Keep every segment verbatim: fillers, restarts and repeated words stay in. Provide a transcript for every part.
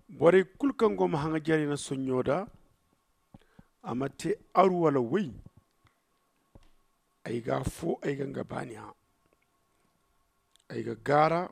Borey kulu kaŋ go ma haŋajerey na sonɲo da, a ma te aru wala woy. Ay ga afo ay ga nga baani hã. Ay ga gaara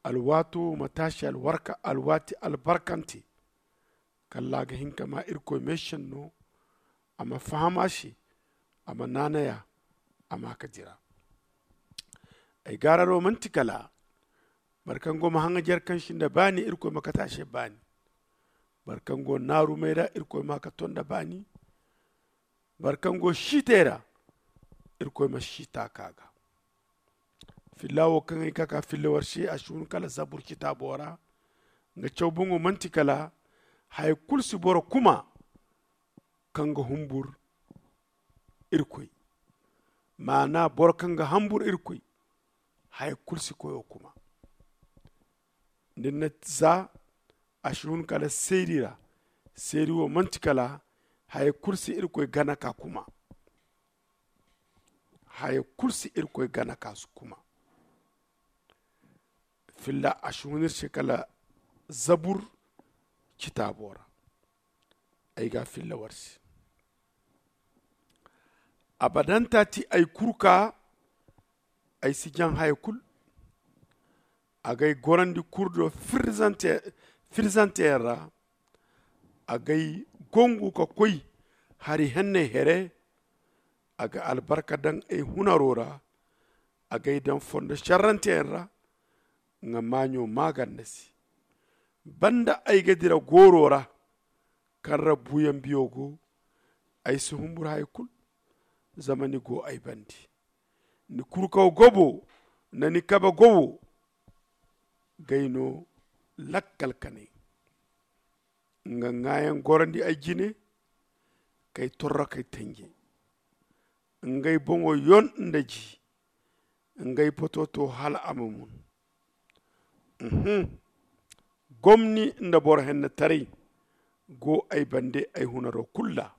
alwaato ma taasi alwarka alwaati albarkante. Kalla a ga hin ka ma irkoy meesenno. A ma faham a se. A ma naanay a. A ma ka dira. Ay gaararo manti kala boro kaŋ go ma haŋajer kaŋ si nda baani irkoy ma kate a se baani. Boro kaŋ go naarumey ra irkoy ma ka to nda baani. Boro kaŋ go siitey ra irkoy ma siita ka ga. Filla wo kaŋ ay ga ka ka filla war se a si hun kala zabur citaabo ra. Nga caw boŋo manti kala haya kulu si boro kuma kaŋ ga humbur irkoy. Maana boro kaŋ ga hambur irkoy haya kulu si koyo kuma. Din na za a si hun kala seeri ra. Seeri wo manti kala haya kulu si irkoy gana ka kuma. Haya kulu si irkoy gana ka su kuma. Filla a si hun ir se kala zabur citaabo ra. Ay ga filla war se. Abadanta ti ay kurka. Ay si jaŋ haya kulu. A ga ay gorandi kurdo firzante yaŋ ra. A ga ay gongu ka koy hari henney here. A ga albarka daŋ ay hunaro ra. A ga ay daŋ fondo šerranteyaŋ ra. Nga maaɲo maaganda se. Banda ay ga dira gooro ra kaŋ ra buuyaŋ biyo go. Ay si humbur haya kulu. Zama ni go ay bande. Ni kurkaw gobo nda ni kabe gobo ga ay no lakkal kanay. Nga ŋwaayaŋ gorandi ay jine k'ay torro k'ay tanje. Ngey boŋo yon nda ji. Ngey potooto hala a ma mun. Gomni nda boro hennetaray go ay bande ay hunaro kulu ra.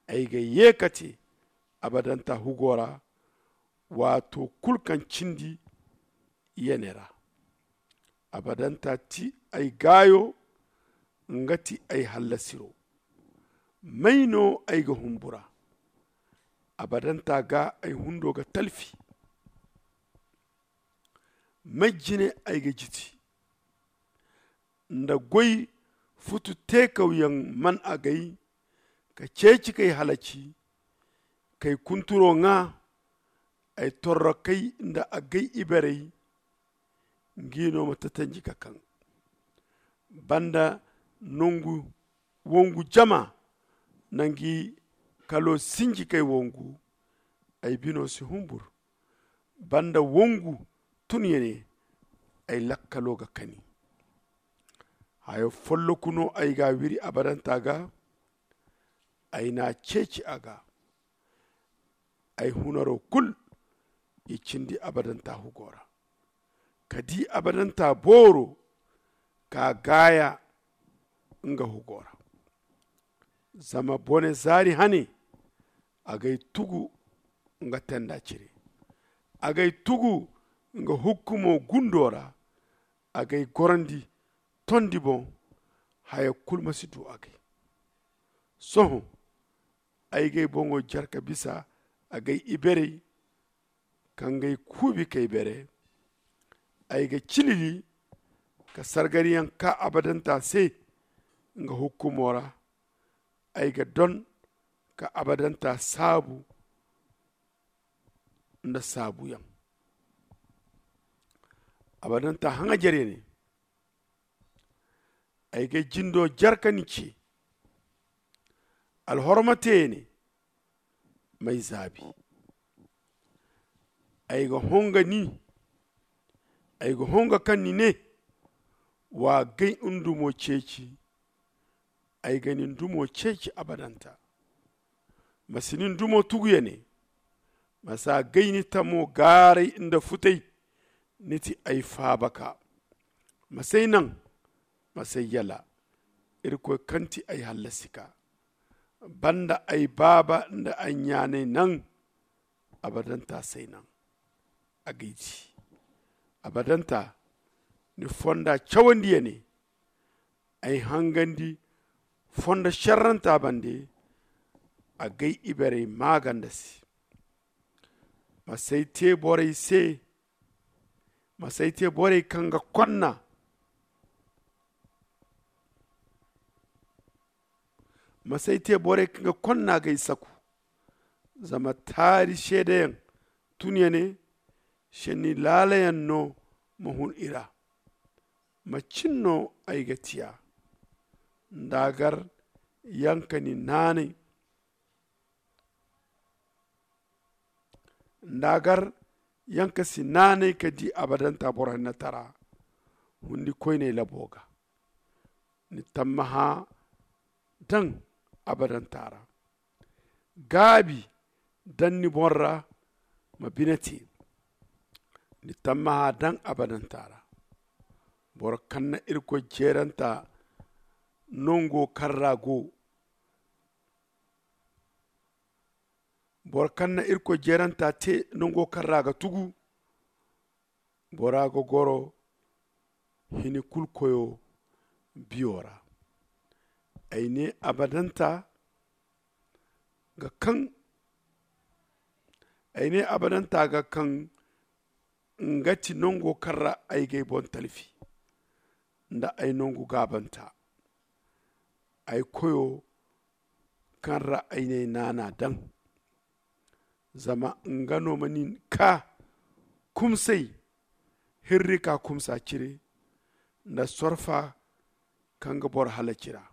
Ay ga ye ka te abadanta hugo ra. Waato kulu kaŋ cindi yene ra. Abadanta ti ay gaayo. Nga ti ay hallasiro. May no ay ga humbura? Abadanta ga ay hundo ga talfi. May jine ay ga jiti? Nda goy futu teekawyaŋ man agay ka ceeci k'ay halaci. K'ay kunturo ŋwa ay torrokey nda agay iberey. Ngi no ma tatanji ka kaŋ banda nongu wongu jama. Nangi kalo sinji k'ay wongu. Ay bino si humbur banda wongu. Tun yene ay lakkalo ga kani. Hayo folloku no ay ga wiri abadanta ga. Ay na ceeci a ga. Ay hunaro kulu i cindi abadanta hugo ra. Ka di abadanta booro ka gaaya nga hugo ra. Zama bone zaari hane agay tugu nga tenda cire. Agay tugu nga hukkumo gundo ra. Agay gorandi tondi boŋ. Haya kulu ma si du agay. Sohõ ay g'ay boŋo jare ka bisa agay iberey. Ka ngey kuubi k'ay bere. Ay ga cilili ka sargariyaŋ ka abadanta se nga hukkumo ra. Ay ga don ka abadanta saabu nda saabuyaŋ. Abadanta haŋajerey ne. Ay ga jindo jare ka ni ce. Alhorma te ne. M'ay zaabi. Ay ga honga ni. Ay ga honga kaŋ ni ne wa gay ndumo ceeci. Ay ga ni ndumo ceeci abadanta. Ma si ni ndumo tugu ya ne. Ma si a gay ni tamo gaaray nda futay. Ni ti ay faabaka. Ma s'ay naŋ. Ma s'ay yala. Irkoy kaŋ ti ay hallasika. Banda ay baaba nda ay ɲaanay naŋ. Abadanta s'ay naŋ. A g'ay di. Abadanta Ni fonda cawandi ya ne, ay hangandi fondo sharranta bande. Agay iberey maaganda se. Masay te borey se. Masay te borey kaŋ ga konna. Masay te borey kaŋ ga konna gay saku. Zama taari seedeyaŋ tun ya ne, senni laalayaŋ no ma hun i ra. Macin no ay ga tiya? Nda gar yaŋ ka ni naanay. Nda gar yaŋ ka si naanay ka di abadanta boro hinne tara. Hundi koyney labo ga ni tammaha daŋ abadanta ra. Gaabi daŋ ni boŋ ra ma bine te. Ni tammaha daŋ abadanta ra. Boro kaŋ na irkoy jeeranta nango kaŋ ra go. Boro kaŋ na irkoy jeeranta te nango kaŋ ra ga tugu. Bora ga goro hini kulu koyo biyo ra. Ay ne abadanta ga kaŋ ay ne abadanta ga kaŋ nga ti nango kaŋ ra ay gay boŋ talfi nda ay nangu gaabanta. Ay koyo kaŋ ra ay ne naana daŋ. Zama nga no ma nin ka kumsay hirri ka kumsa cire nda sorfa kaŋ ga boro halaci ra.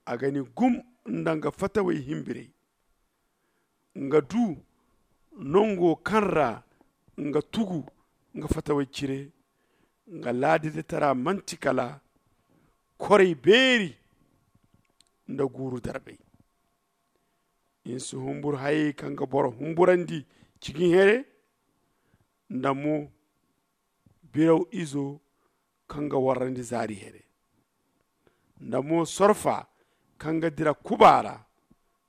A ga ni gum nda nga fatawey himbirey. Nga du nango kaŋ ra nga tugu nga fatawey cire. Nga laadidetara manti kala korey beeri nda guuru darbey. Ni si humburu hayey kaŋ ga boro humburandi cigin here nda mo biraw izo kaŋ ga warrandi zaari here nda mo sorfa kaŋ ga dira kuba ra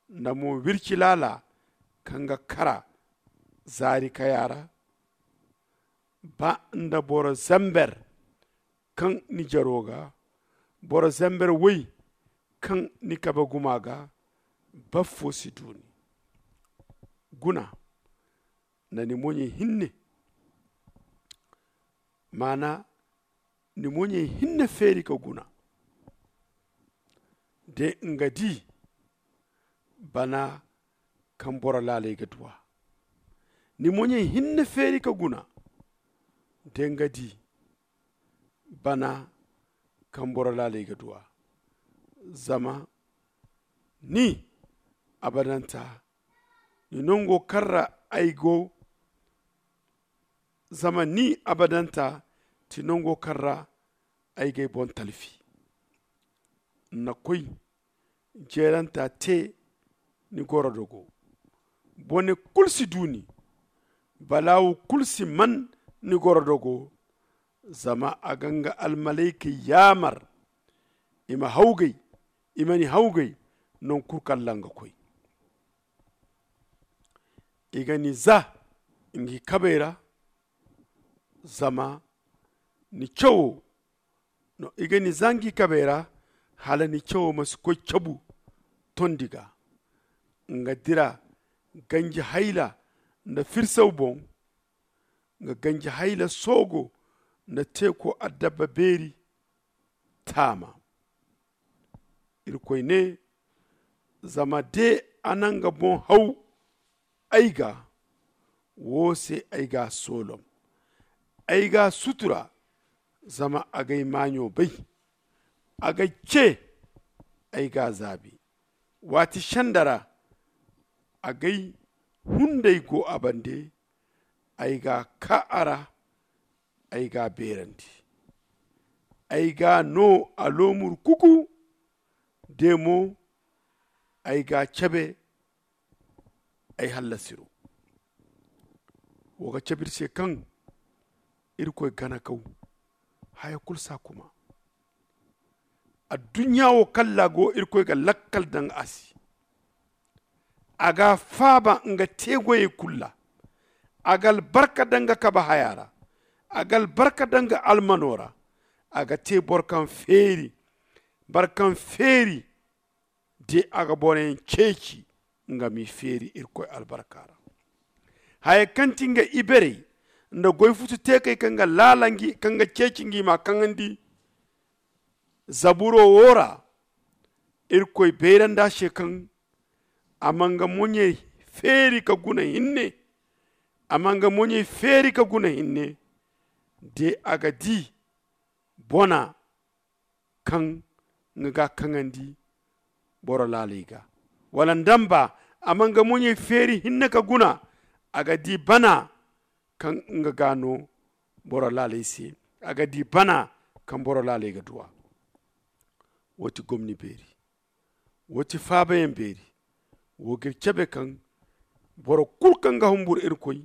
nda mo wirci laala kaŋ ga kara zaari kaya ra. Ba nda boro zamber kaŋ ni jaro ga boro zamber woy kaŋ ni kabe guma ga. Baffo si du ni guna nda ni moɲey hinne. Maana ni moɲey hinne feeri ka guna de nga di bana kaŋ boro laaley ga duw'a. Ni moɲey hinne feeri ka guna de nga di bana kaŋ boro laaley ga duw'a. Zama ni abadanta ni nango kaŋ ra ay go. Zama ni abadanta ti nango kaŋ ra ay g'ay boŋ talfi. N na koy jeeranta te ni gorodogo. Bone kulu si du ni. Balaawu kulu si man ni gorodogo. Zama a ga nga almalaykey yaamar i ma hawgay i ma ni hawgay. Non kulu kaŋ ra nga koy i ga ni za ngi kabey ra. Zama ni cawo no i ga ni za ngi kabey ra hala ni cawo ma si koy cabu tondi ga. Nga dira ganji hayla nda firsaw boŋ nga ganji hayla soogo nda teeko adabba beeri. Taama irkoy ne zama de a na nga boŋ haw ay ga wo se ay ga a soolom. Ay ga a sutura zama a g'ay maaɲo bay. A g'ay ce ay ga a zaabi. Waati senda ra a g'ay hunday go a bande. Ay ga a kaa a ra ay ga a beerandi. Ay ga a no a loomur kuku de mo ay ga a cabe ay hallasiro. Wo ga cabe iri se kaŋ irkoy gana kaw haya kulu si a kuma. Adduɲɲa wo kaŋ ra a go irkoy ga lakkal daŋ a se. A ga a faaba nga te goyey kulu ra. A ga albarka daŋ nga kabe haya ra. A ga albarka daŋ nga almano ra. A ga te boro kaŋ feeri boro kaŋ feeri de a ga boroyaŋ ceeci. Nga m'i feeri irkoy albarka ra. Haya kaŋ ti nga iberey nda goy futu teekey kaŋ ga laala kaŋ ga ceeci ngi m'a kaŋandi. Zaburo wo ra irkoy bayrandi a se kaŋ a ma nga moɲey feeri ka guna hinne. A ma nga moɲey feeri ka guna hinne. De a ga di bona kaŋ nga ga a kaŋandi boro laaley ga. Wala nda nba a ma nga moɲey feeri hinne ka guna. A ga di bana kaŋ nga ga a no boro laaley se. A ga di bana kaŋ boro laaley ga duw'a. Wo ti gomni beeri. Wo ti faabayaŋ beeri. Wo g'iri cabe kaŋ boro kulu kaŋ ga humbur irkoy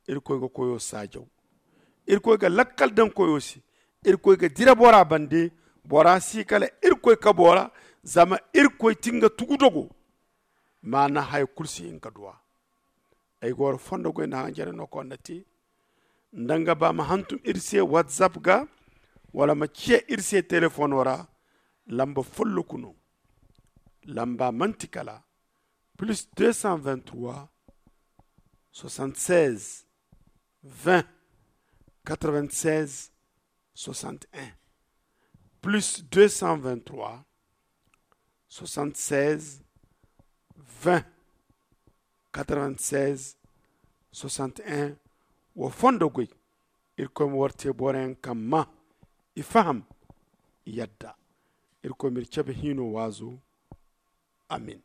irkoy ga koyo saajaw. Irkoy ga lakkal daŋ koyo se. Irkoy ga dira bora bande. Bora si kala irkoy kabo ra. Zama irkoy ti nga tugudogo. Maana haya kulu si hin ka duw'a. Ay ga wara fondo goy nda hanjare no kaŋ wara na te. Nda nga ba ma hantum iri se whatsapp ga wala ma ciya iri se telefono ra. Lamba folloku no. Lamba manti kala plus deux cent vingt-trois soixante-seize vingt quatre-vingt-seize soixante-un. Plus deux cent vingt-trois soixante-seize vingt quatre-vingt-seize soixante-un. Wa fondo goy. Irkoy ma war te boroyaŋ kaŋ ma i faham i yadda. Irkoy ma iri cabe hino waazo. Amin.